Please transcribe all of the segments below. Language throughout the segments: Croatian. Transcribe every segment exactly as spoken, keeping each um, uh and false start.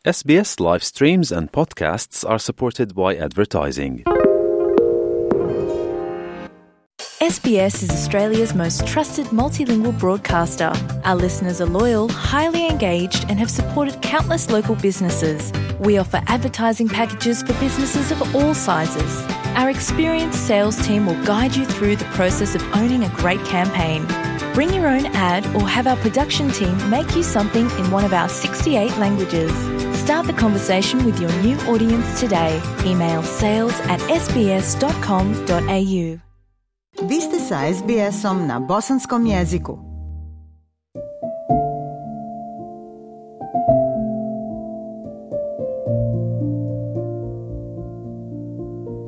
S B S live streams and podcasts are supported by advertising. S B S is Australia's most trusted multilingual broadcaster. Our listeners are loyal, highly engaged, and have supported countless local businesses. We offer advertising packages for businesses of all sizes. Our experienced sales team will guide you through the process of owning a great campaign. Bring your own ad or have our production team make you something in one of our sixty-eight languages. Start the conversation with your new audience today. Email sales at s b s dot com dot a u. Vi ste sa S B S-om na bosanskom jeziku.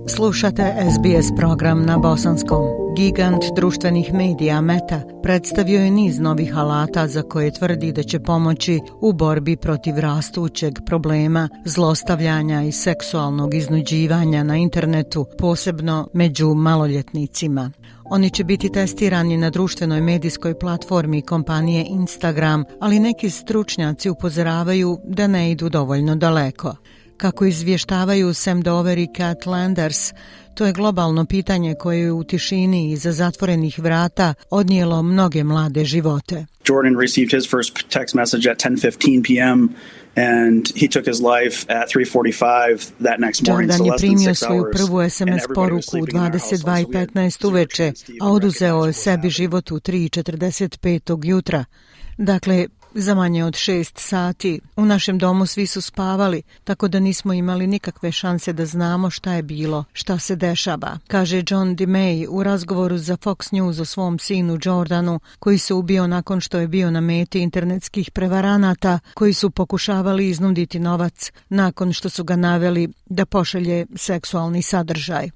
Slušate S B S program na bosanskom. Gigant društvenih medija Meta predstavio je niz novih alata za koje tvrdi da će pomoći u borbi protiv rastućeg problema zlostavljanja i seksualnog iznuđivanja na internetu, posebno među maloljetnicima. Oni će biti testirani na društvenoj medijskoj platformi kompanije Instagram, ali neki stručnjaci upozoravaju da ne idu dovoljno daleko. Kako izvještavaju Sam Dover i Kat Landers, to je globalno pitanje koje je u tišini iza zatvorenih vrata odnijelo mnoge mlade živote. Jordan received his first text message at ten fifteen p.m. and he took his life at three forty-five that next morning. Jordan je primio svoju prvu S M S poruku u dvadeset dva i petnaest uveče, a oduzeo je sebi život u tri četrdeset pet jutra. Dakle, za manje od šest sati. U našem domu svi su spavali, tako da nismo imali nikakve šanse da znamo šta je bilo, šta se dešava, kaže John DeMay u razgovoru za Fox News o svom sinu Jordanu, koji se ubio nakon što je bio na meti internetskih prevaranata koji su pokušavali iznuditi novac nakon što su ga naveli da pošalje seksualni sadržaj.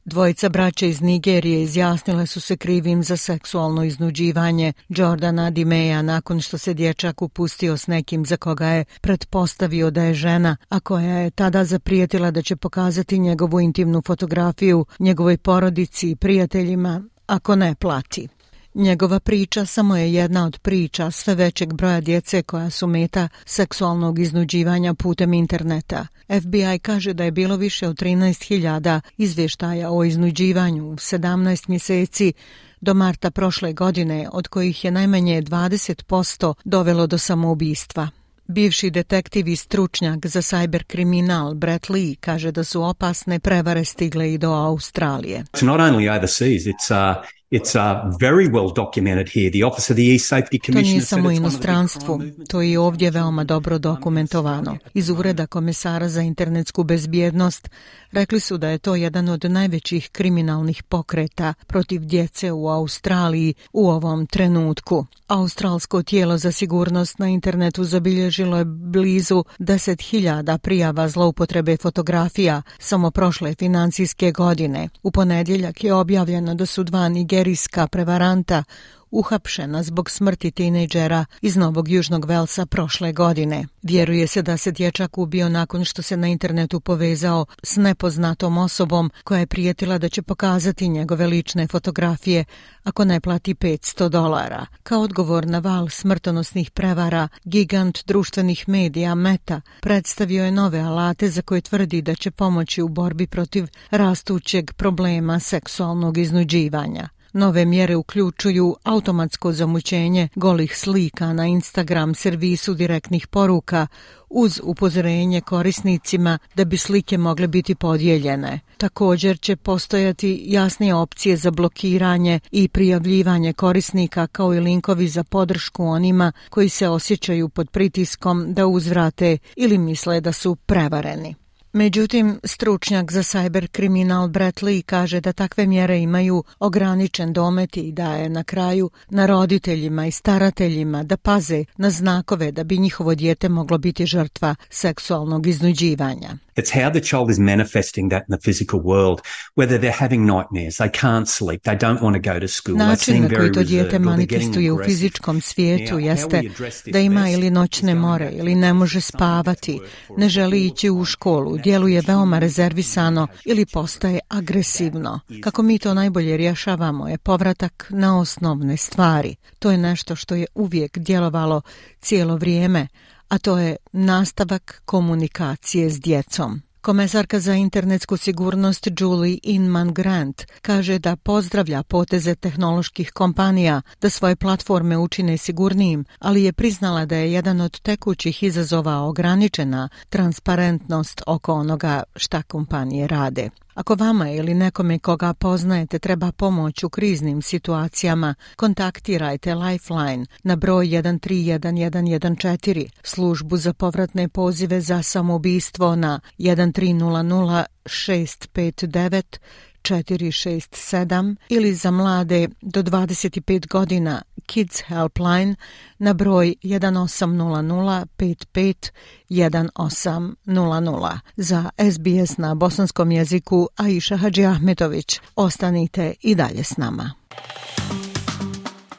Dvojica braće iz Nigerije izjasnile su se krivim za seksualno iznuđivanje Jordana DeMaya nakon što se dječak upustio s nekim za koga je pretpostavio da je žena, a koja je tada zaprijetila da će pokazati njegovu intimnu fotografiju njegovoj porodici i prijateljima ako ne plati. Njegova priča samo je jedna od priča sve većeg broja djece koja su meta seksualnog iznuđivanja putem interneta. F B I kaže da je bilo više od trinaest hiljada izvještaja o iznuđivanju u sedamnaest mjeseci do marta prošle godine, od kojih je najmanje dvadeset posto dovelo do samoubistva. Bivši detektiv i stručnjak za cyberkriminal Brett Lee kaže da su opasne prevare stigle i do Australije. It's not only overseas, it's uh... It's uh, very well documented here. The Office of the E-Safety Commissioner. To nije samo u inostranstvu, to je i ovdje veoma dobro dokumentovano. Iz Ureda komesara za internetsku bezbjednost rekli su da je to jedan od najvećih kriminalnih pokreta protiv djece u Australiji u ovom trenutku. Australsko tijelo za sigurnost na internetu zabilježilo je blizu deset hiljada prijava zloupotrebe fotografija samo prošle financijske godine. U ponedjeljak je objavljeno da su dva nigerijska prevaranta uhapšena zbog smrti tinejdžera iz Novog Južnog Velsa prošle godine. Vjeruje se da se dječak ubio nakon što se na internetu povezao s nepoznatom osobom koja je prijetila da će pokazati njegove lične fotografije ako ne plati petsto dolara. Kao odgovor na val smrtonosnih prevara, gigant društvenih medija Meta predstavio je nove alate za koje tvrdi da će pomoći u borbi protiv rastućeg problema seksualnog iznuđivanja. Nove mjere uključuju automatsko zamućenje golih slika na Instagram servisu direktnih poruka uz upozorenje korisnicima da bi slike mogle biti podijeljene. Također će postojati jasnije opcije za blokiranje i prijavljivanje korisnika kao i linkovi za podršku onima koji se osjećaju pod pritiskom da uzvrate ili misle da su prevareni. Međutim, stručnjak za cyberkriminal Brett Lee kaže da takve mjere imaju ograničen domet i da je na kraju na roditeljima i starateljima da paze na znakove da bi njihovo dijete moglo biti žrtva seksualnog iznuđivanja. It's how the child is manifesting that in the physical world, whether they're having nightmares, they can't sleep, they don't want to go to school. Način na koji to dijete manifestuje u fizičkom svijetu jeste da ima ili noćne more ili ne može spavati, ne želi ići u školu, djeluje veoma rezervisano ili postaje agresivno. Kako mi to najbolje rješavamo je povratak na osnovne stvari. To je nešto što je uvijek djelovalo cijelo vrijeme, a to je nastavak komunikacije s djecom. Komesarka za internetsku sigurnost Julie Inman Grant kaže da pozdravlja poteze tehnoloških kompanija da svoje platforme učine sigurnijim, ali je priznala da je jedan od tekućih izazova ograničena transparentnost oko onoga šta kompanije rade. Ako vama ili nekome koga poznajete treba pomoć u kriznim situacijama, kontaktirajte Lifeline na broj jedan tri jedan jedan jedan četiri, službu za povratne pozive za samoubistvo na jedan tri nula nula šest pet devet četiri šest sedam ili za mlade do dvadeset pet godina Kids Helpline na broj jedan osam nula nula pet pet jedan osam nula nula. Za S B S na bosanskom jeziku Aisha Hadžiahmetović. Ostanite i dalje s nama.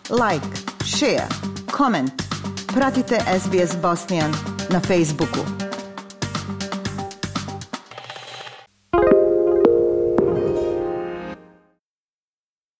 Like, share, comment. Pratite S B S Bosnian na Facebooku.